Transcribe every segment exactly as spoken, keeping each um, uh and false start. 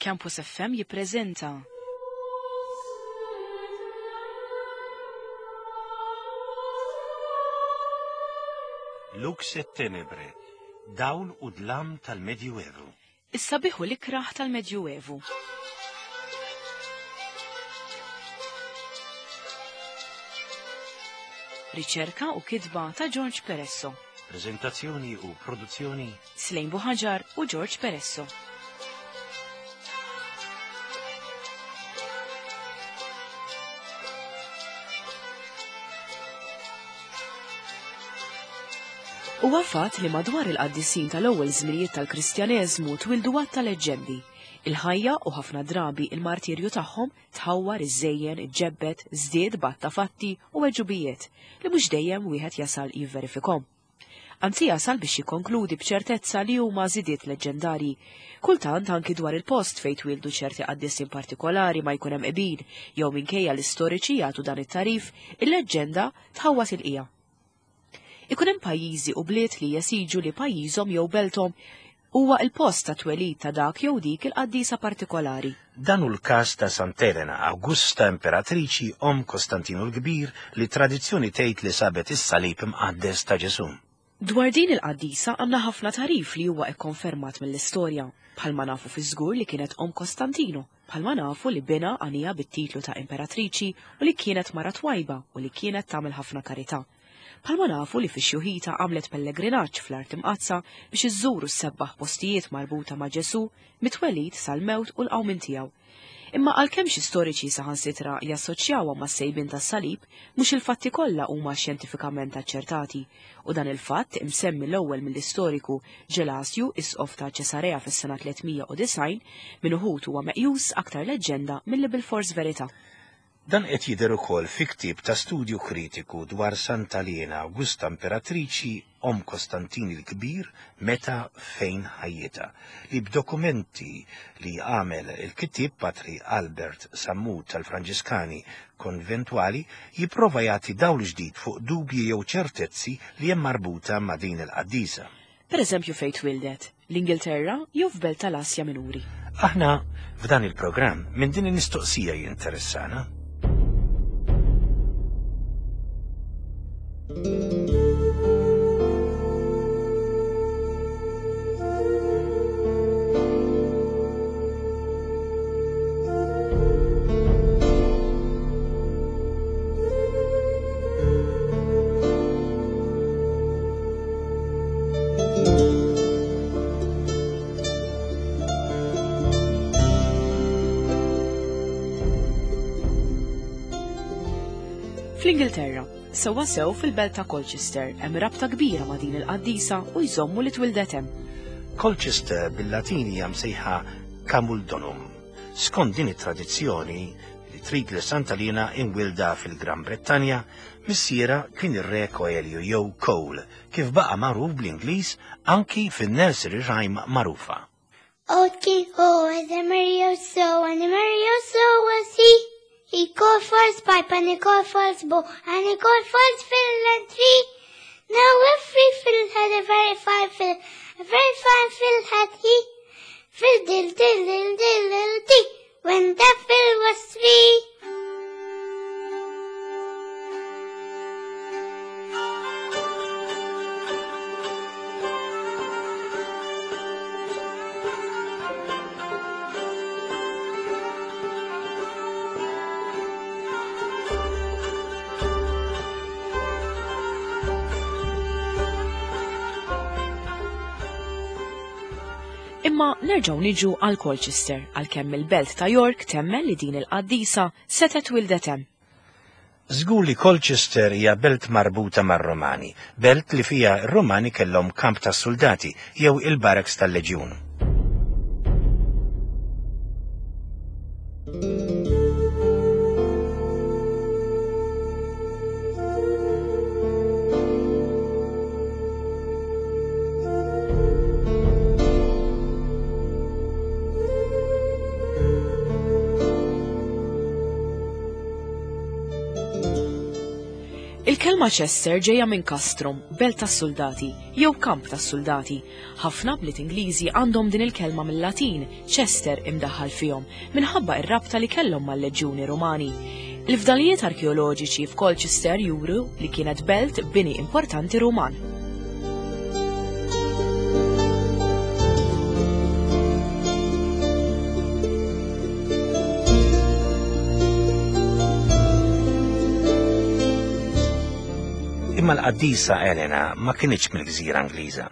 Campus F M jippreżenta Lux et Tenebre, dawl u dlam tal-Medjuevu. Is-sabiħ u l-ikraħ tal-Medjuevu. Riċerka u kitba ta' George Peresso. Prezentazzjoni u produzzjoni Slejn Buħaġar u George Peresso. Huwa fatt li madwar il-qaddisin tal-ewwel żminijiet tal-Kristjaneżmu twildu għadd ta' leġġendi. Il-ħajja u ħafna drabi il-martirju tagħhom tħawwar, iżżejjen, iġġebbed, żdied b'għadd ta' fatti u għeġubijiet li mhux dejjem wieħed jasal jivverifikhom. Anzi jasal biex jikkonkludi b'ċertezza li huma żidiet leġġendarji. Kultant anki dwar il-post fejn twildu ċerti qaddisin partikolari ma jkun hemm qbil jew minkejja l-istoriċi jagħtu dan it-tarif, il-leġġenda tħawwas il-qija. Ikun hemm pajjiżi u bliet li jesiġu li pajjiżhom jew belthom huwa l-post ta' twelid ta' dak jew dik il-qaddisa partikolari. Dan hu l-każ ta' Sant'Elena, Augusta Imperatriċi omm Kostantinu l-Kbir, li tradizzjoni tgħid li sabet is-salib imqaddes ta' Ġesù. Dwar din il-qaddisa għandna ħafna tarif li huwa kkonfermat mill-istorja, bħalma nafu fi żgur li kienet omm Kostantino, bħalma nafu li binha għanija bit-titlu ta' imperatriċi u li kienet mara twajba u li kienet tagħmel ħafna karità. Bħalma nafu li fix-xjuħita għamlet pellegrinaġġ fl-art imqaddsa biex iżżuru s-sebbaħ postijiet marbuta ma' Ġesù mitwelid sal-mewt u l-qawmien tiegħu. Imma għalkemm xi storiċi saħansitra jassoċjawha mas-sejbien tas-salib, mhux il-fatti kollha huma xjentifikament aċċertati, u dan il-fatt imsemmi l-ewwel mill-istoriku Ġelasju, isqof ta' Ċesarea fis-sena tliet mija u disgħin, minn uħud huwa meqjus aktar leġġenda milli bilfors verità. Dan qed jidher ukoll fi ktieb ta' studju kritiku dwar Santa Liena Augusta Imperatriċi omm Kostantin il-Kbir meta fejn ħajjitha, li b'dokumenti li għamel il-kittieb Patri Albert Sammut tal-Franġiskani Konventwali jipprova jagħti dawl ġdid fuq dubji jew ċertezzi li hemm marbuta ma' din il-qaddisa. Per eżempju fejn twildet, l-Ingilterra jew f'belt tal-Asja Minuri. Aħna f'dan il-programm minn din il-mistoqsija jinteressana. Fl-Ingilterra, sewwa sew fil-belt ta' Colchester, hemm rabta kbira ma' din il-qaddisa u jżommu li twildet hemm. Colchester bil-Latin hija msejħa Camuldonum. Skont din it-tradizzjoni li trid li Santa Liena imwilda fil-Gran Brettanja, missiera kien ir-re Coelio jew Cole, kif baqa' magħruf bl-Ingliż anki fin-nursery rhyme magħrufa. Old King Cole was a merry old soul, and a merry old soul was he. He called for his pipe and he called for his bow, and he called for his fiddle and three. Now every fiddle had a very fine fiddle, a very fine fiddle had he. Fiddle, diddle, diddle, dee, when that fiddle was three. Imma nerġgħu niġu għal Colchester, għalkemm il-belt ta' York temmen li din il-qaddisa setgħet wildet hemm. Żgur li Colchester hija belt marbuta mar-Romani, belt li fiha r-Romani kellhom kamp tas-soldati jew il-barracks tal-leġjun. Il-kelma Chester ġejja minn Castrum, belt tas-soldati, jew kamp tas-soldati. Ħafna bliet Ingliżi għandhom din il-kelma mill-Latin, Chester imdaħħal fihom, minħabba ir-rabta li kellhom mal-Leġjuni Rumani. Il-fdalijiet arkeoloġiċi f'Colchester juru li kienet belt bini importanti Ruman. Imma l-qaddisa Elena ma kinitx mill-gżira Ingliża.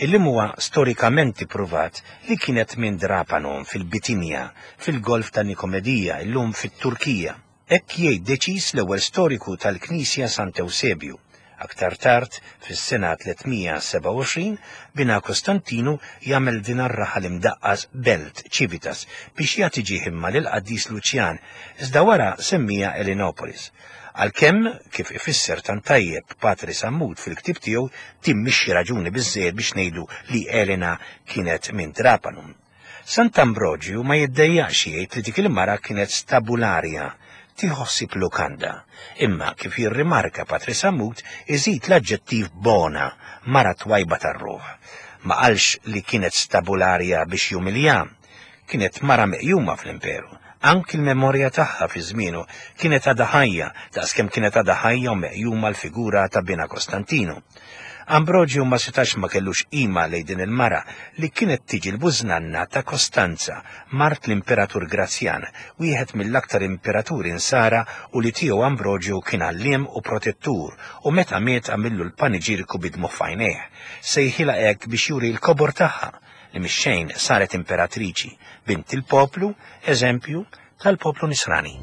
Illum huwa storikament ippruvat li kienet minn Drapanon fil-Bitinja, fil-Golf ta' Nikomedija, illum fit-Turkija. Hekk jgħid deċiż l-ewwel storiku tal-Knisja Sant'Eusebju. Aktar tard, fis-sena tliet mija sebgħa u għoxrin, bina Kostantinu jagħmel din ar-raħal imdaqqas belt Civitas biex jagħti ġieħ imma lill-qaddis Luċjan, iżda wara semmija Elenopolis. Għalkemm, kif ifisser tant tajjeb Patri Sammut fil-ktieb tiegħu, din mhix xi raġuni biżżejjed biex ngħidu li Elena kienet minn Trapanum. Sant'Ambrogju ma jiddejjaqx jgħid li dik il-mara kienet stabularja, tieħu ħsieb lukanda. Imma kif jirrimarka Patri Sammut, iżid l-aġġettiv bona, mara twajba tar-ruħ. Ma qalx li kienet stabularja biex jumilja, kienet mara meqjuma fl-imperu. Anki l-memorja tagħha fi żmienu kienet għadha ħajja, daqskemm kienet għadha ħajja u meqjuma l-figura ta' bina Kostantinu. Ambrogju ma setax ma kellux qima lejn din il-mara li kienet tiġi l-bużnanna ta' Kostanza, mart l-Imperatur Grazjan, wieħed mill-aktar imperaturi insara u li tiegħu Ambrogju kien għalliem u protettur, u meta miet għamillu l-paniġiriku bidmu f'għajnejh. Sejħilha hekk biex juri l-kobor tagħha, li mix-xejn saret imperatriċi, bint il-poplu, eżempju tal-poplu nisrani.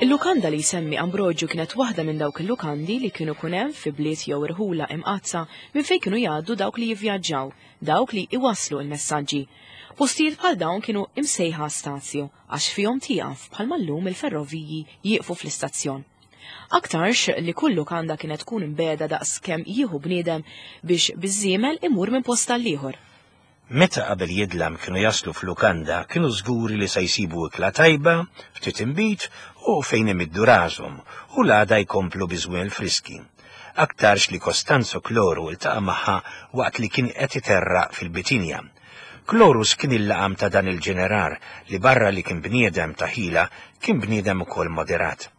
Il-lukanda li jsemmi Ambrogju kienet waħda minn dawk il-lukandi li kienu kun hemm fi bliet jew irħula imqazza minn fejn kienu jgħaddu dawk li jivvjaġġaw, dawk li iwasslu l-messaġġi. Postijiet bħal dawn kienu imsejħa stazju għax fihom tieqaf bħalma llum il-ferroviji jieqfu fl-istazzjon. Aktarx li kull lukanda kienet tkun imbeda daqs kemm jieħu bniedem biex biż-żiemel imur minn post għall-ieħor. Meta qabel jidlam kienu jaslu f'lukanda, kienu żguri li se jsibu ikla tajba, ftit inbid u fejn imiddu rashom, u l-għada jkomplu biżwiel friski. Aktarx li Kostanzo Kloru iltaqa' magħha waqt li kien qed iterraq fil-Bitinja. Klorus kien il-laqam ta' dan il-ġeneral li barra li kien bniedem ta' ħila, kien bniedem ukoll moderat.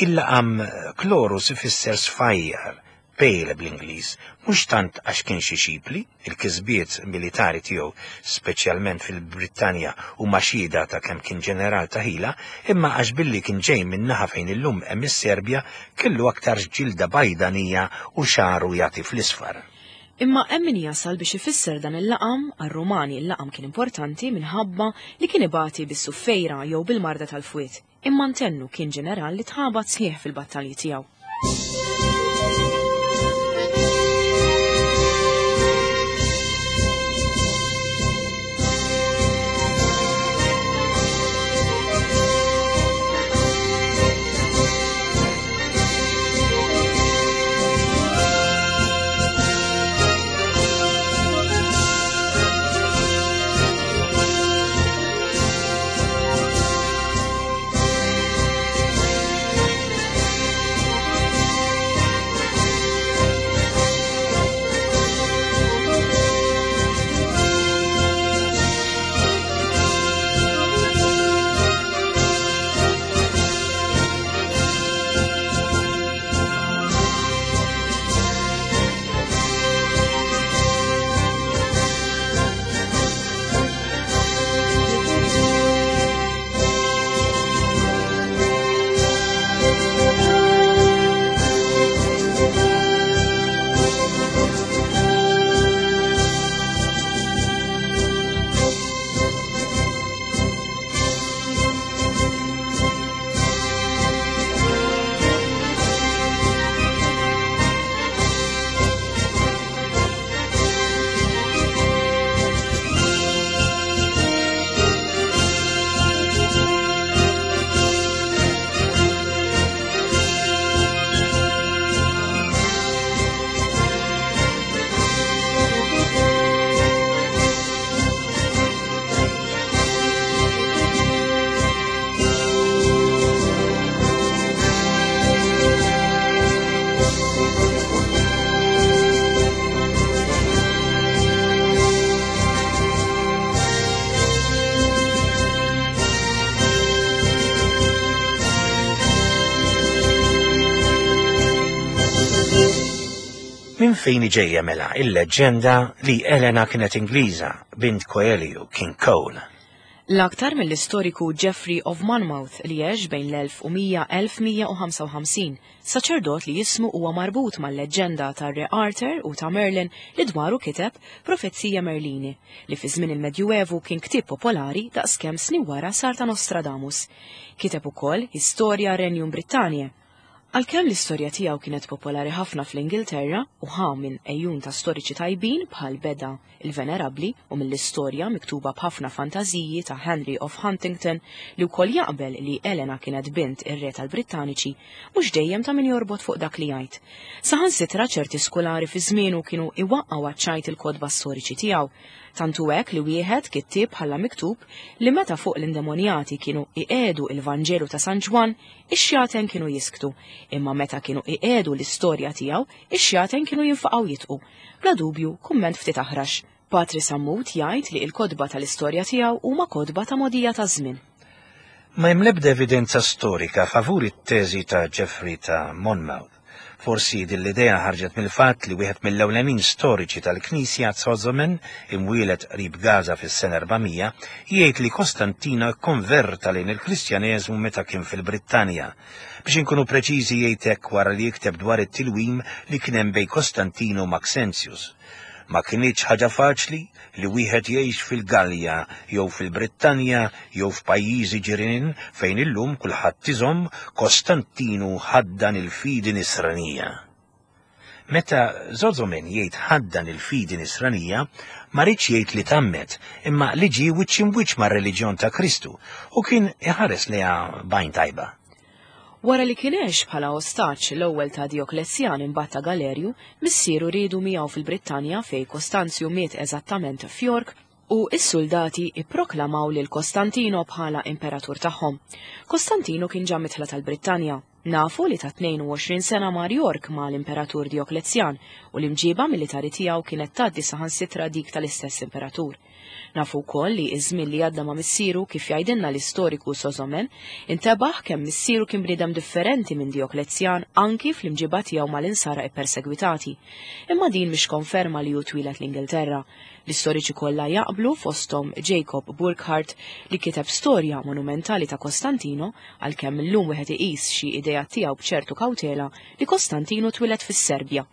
Il-laqam Klorus ifisser sfajjar, pale bl-Ingliż, mhux tant għax kien xi xipli, il-kisbiet militari tiegħu, speċjalment fil-Brittanja u xhieda ta' kemm kien ġeneral ta' ħila, imma għax billi kien ġej minn naħa fejn illum hemm is-Serbja kellu aktar ġilda bajdanija u xagħru jagħti fl-isfar. Imma hemm min jasal biex ifisser dan il-laqam, għar-Rumani il-laqam kien importanti minħabba li kien ibati bis-suffejra jew bil-marda tal-fwiet. Imma ntennu kien ġeneral li tħabat sħiħ fil-battalji tiegħu. Minn fejn ġejja mela il-leġġenda li Elena kienet Ingliża, bint Coelio, King Cole? L-aktar mill-istoriku Geoffrey of Monmouth li għex bejn l-elf u mija elf mija u ħamsa u ħamsin, saċerdot li jismu huwa marbut mal-leġġenda tar-Re Arthur u ta' Merlin li dwaru kiteb Profezija Merlini, li fi żmien il-Medjuevu kien ktieb popolari daqskemm snin wara sar ta' Nostradamus. Kiteb ukoll Historia Regnum Britanniae. Għalkemm l-istorja tiegħu kienet popolari ħafna fl-Ingilterra u ħa minn ejjun ta' storiċi tajbin bħal Beda il-Venerabbli u mill-istorja miktuba b'ħafna fantażiji ta' Henry of Huntingdon li wkoll jaqbel li Elena kienet bint ir-re tal-Brittaniċi, mhux dejjem ta' min jorbot fuq dak li jgħid. Saħansitra ċerti skolari fi żmienu kienu iwaqqgħu għaċ-ċajt il-kotba storiċi tiegħu. Tantu hekk li wieħed kittieb bħala miktub li meta fuq l-indemonjati kienu iqedu il-Vanġelu ta' San Ġwann, ix-xjaten kienu jisktu, imma meta kienu iqedu l-istorja tiegħu, ix-xjaten kienu jinfaqgħu jitqu. Bla dubju, kumment ftit aħrax. Patri Sammut jgħid li l-kotba tal-istorja tiegħu huma kotba ta' mogħdija ta' żmien. Ma hemm l-ebda evidenza storika favur it-teżi ta' Geoffrey ta' Monmouth. Forsi din l-idea ħarġet mill-fatt li wieħed mill-ewlenin storiċi tal-Knisja Zozomen, imwielet qrib Gaza fis-sena erbamija, jgħid li Kostantino kkonverta lejn il-Kristjaneżmu meta kien fil-Brittanja. Biex inkunu preċiżi jgħid hekk wara li jikteb dwar it-tilwim li kien hemm bejn Kostantino u Maxentius. Ma kinitx ħaġa faċli li wieħed jgħix fil-Gallja jew fil-Brittanja jew f'pajjiżi ġirien fejn illum kulħadd iżomm Kostantinu ħaddan il-fidi nisranija. Meta Zozomen jgħid ħaddan il-fidi nisranija, ma riedx jgħid li tammet, imma li ġie wiċċ imwiċċ mar-reliġjon ta' Kristu u kien iħares lejha b'għajn tajba. Wara li kien għex bħala ostaġġ l-ewwel ta' Dioklezjan imbagħad ta' Galerju, missieru riedu miegħu fil-Brittanja fejn Kostanzju miet eżattament f'York u s-soldati ipproklamaw lil Kostantino bħala imperatur tagħhom. Kostantino kien ġa mitħla tal-Brittanja. Nafu li ta' tnejn u għoxrin sena mar York ma' l-imperatur Dioklezjan u l-imġiba militari tiegħu kienet tgħaddi saħansitra dik tal-istess imperatur. Nafu wkoll li iż-żmien li għadda ma' missieru kif jgħidilna l-istoriku Sozomen, intebaħ kemm missieru kien bniedem differenti minn Dioklezjan anki fl-imġiba tiegħu mal-insara ippersegwitati. Imma din mhix konferma li hu twieled l-Ingilterra. L-istoriċi kollha jaqblu fosthom Jacob Burckhardt li kiteb storja monumentali ta' Kostantino, għalkemm illum wieħed iqis xi idea tiegħu b'ċertu kawtela li Kostantino twieled fis-Serbja.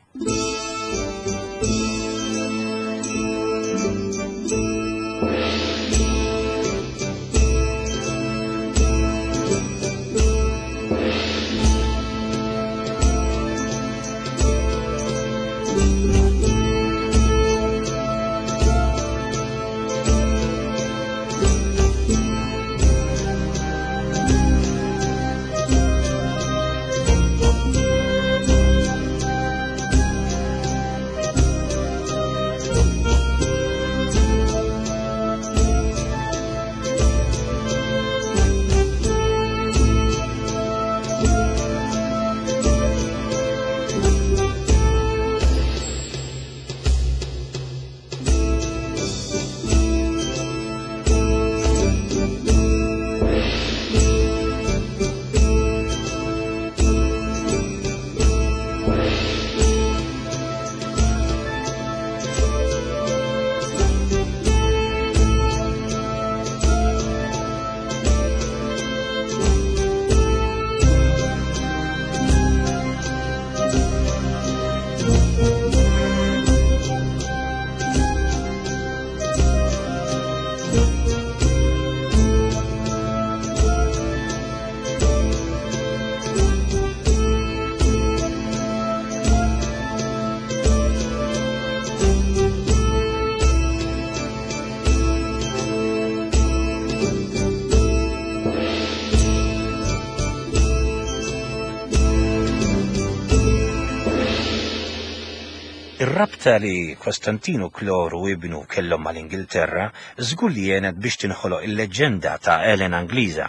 Ir-rabta li Kostantinu Kloru ibnu kellhom mal-Ingilterra żgur li għenet biex tinħoloq il-leġġenda ta' Elena Ingliża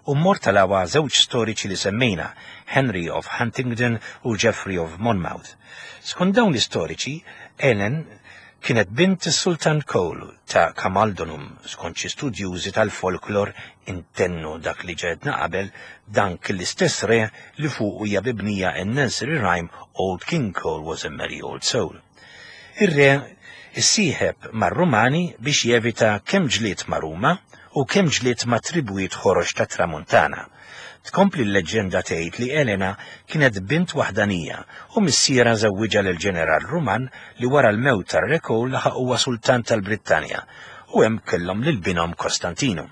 u mmortalawha żewġ storiċi li semmejna, Henry of Huntingdon u Geoffrey of Monmouth. Skont dawn l-istoriċi, Ellen Kienet bint is-Sultan Cole ta' Camaldonum, skont xi studjużi tal-folklor intennu dak li ġedna qabel dan kien l-istess re li fuq hija mibnija n-nursery rhyme Old King Cole was a merry old soul. Ir-re issieħeb mar-Rumani biex jevita kemm ġlied ma' Ruma u kemm ġlied ma' tribujiet ħorox ta' Tramuntana. Tkompli l-leġġenda tgħid li Elena kienet bint waħdanija u missiera żewwiġha lil ġeneral Ruman li wara l-mewt tar-re Cole laħaq huwa sultan tal-Brittanja u hemm kellhom lil binhom Kostantinu.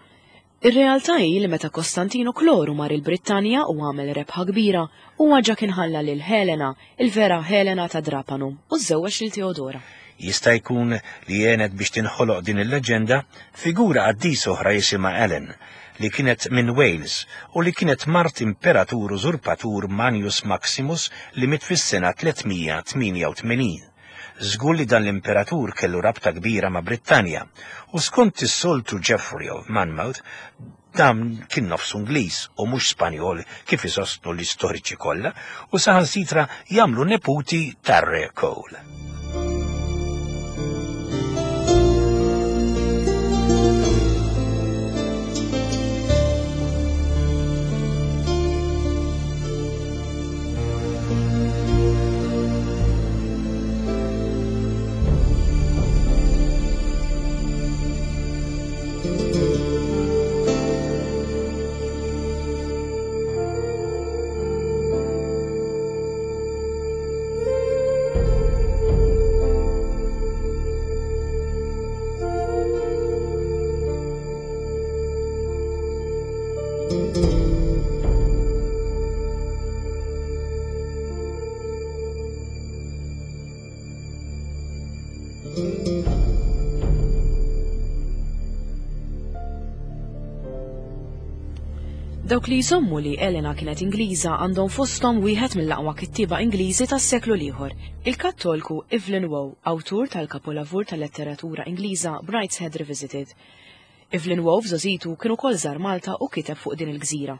Ir-realtà hi li meta Kostantino Kloru mar il-Brittanja u għamel rebħa kbira, huwa ġa kien ħalla lil Helena, il-vera Helena ta' Drapanum, u żewweġ lil Teodora. Jista' jkun li għenet biex tinħoloq din il-leġenda figura qaddis oħra jisimha Ellen, li kienet minn Wales u li kienet mart imperatur użurpatur Manius Maximus li miet fis-sena tliet mija tmienja u tmenin. Żgur li dan l-imperatur kellu rabta kbira ma' Brittanja u skont is-soltu Geoffrey of Monmouth dan kien nofsu Ingliż u mhux Spanjol kif isostnu l-istoriċi kollha u saħansitra jagħmlu neputi tar-re Cole. Dawk li jżommu li Elena kienet Ingliża għandhom fosthom wieħed mill-aqwa kittieba Ingliżi tas-seklu l-ieħor, il-Kattolku Evelyn Waugh, awtur tal-kapolavur tal-letteratura Ingliża Brideshead Revisited. Evelyn Waugh f'żgħożitu kien ukoll żar Malta u kiteb fuq din il-gżira.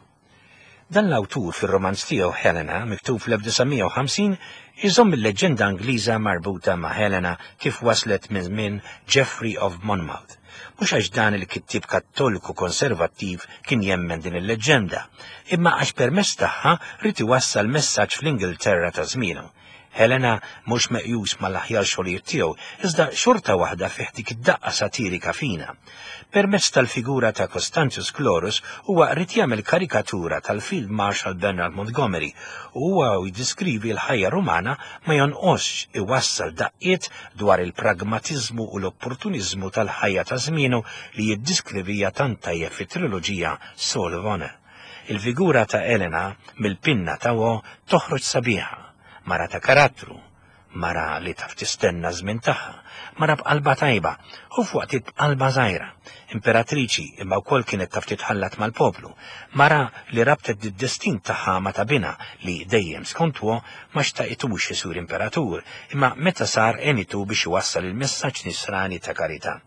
Dan l-awtur fir-romanz tiegħu Helena, miktub fl-elf disa' mija u ħamsin, iżomm il-leġġenda Ingliża marbuta ma' Helena kif waslet minn żmien Geoffrey of Monmouth. Mhux għax dan il-kittieb kattoliku konservattiv kien jemmen din il-leġġenda, imma għax permezz tagħha rid iwassal messaġġ fl-Ingilterra ta' żmienu. Helena mhux meqjus mal-aħjar xogħlijiet tiegħu, iżda xorta waħda fih dik id-daqqa satirika fina. Permezz tal-figura ta' Constantius Chlorus huwa rid jagħmel karikatura tal-Field Marshal Bernard Montgomery u huwa jiddiskrivi l-ħajja Rumana ma jonqosx iwassal daqqiet dwar il-pragmatiżmu u l-opportuniżmu tal-ħajja ta' żmienu li jiddiskrivija tant tajjeb fit-triloġija Soul of Honor. Il-figura ta' Elena mill-pinna ta' Waugh toħroġ sabiħa, mara ta' karattru, mara li taf tistenna żmien tagħha, mara b'qalba tajba u f'waqtiet b'qalba żgħira, imperatriċi imma wkoll kienet taf titħallat mal-poplu, mara li rabtet id-destin tagħha ma' ta' binha li dejjem skont Waugh ma xtaqitux isur imperatur, imma meta sar għenitu biex iwassal il-messaġġ nisrani ta' karità.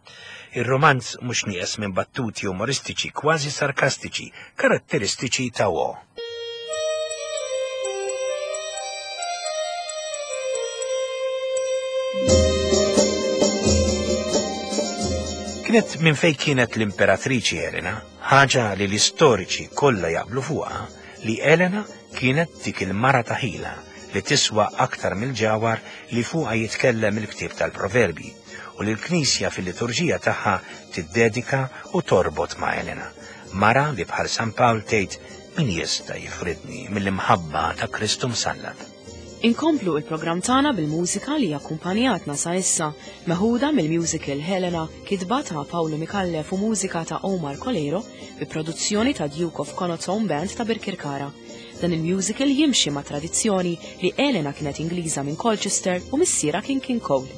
Ir-romanz mhux nieqes minn battuti umoristiċi kważi sarkastiċi, karatteristiċi ta' Waugh. Kienet minn fejn kienet l-imperatriċi Elena, ħaġa li l-istoriċi kollha jaqblu fuqha, li Elena kienet dik il-mara ta' ħila li tiswa aktar mill-ġawhar li fuqha jitkellem il-ktieb tal-Proverbi u li l-Knisja fil-liturġija tagħha tiddedika u torbot ma' Elena. Mara li bħal San Pawl tgħid min jista' jifridni mill-imħabba ta' Kristu msallab. Inkomplu il-programm tagħna bil-mużika li akkumpanjatna sa issa, meħuda mill-musical Helena, kitba ta' Paolo Micallef u mużika ta' Omar Colero, bi produzzjoni ta' Duke of Connaught's Own Band ta' Birkirkara. Dan il-musical jimxi ma' tradizzjoni li Elena kienet Ingliża minn Colchester u missiera kien King Cole.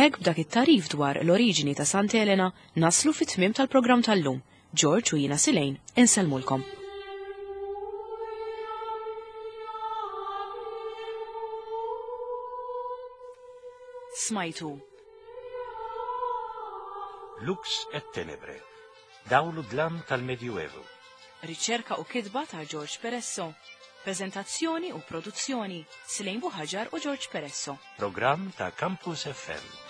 Hekk b'dak it-tagħrif dwar l-oriġini ta' Santa Elena naslu fit-tmiem tal-programm tal-lum. George u jiena Silejn insellmulkom. Smajtu Lux et Tenebre, dawl u dlam tal-Medjuevu. Riċerka u kitba ta' George Peresso. Prezentazzjoni u produzzjoni Silejn Buħaġar u George Peresso. Programm ta' Campus F M.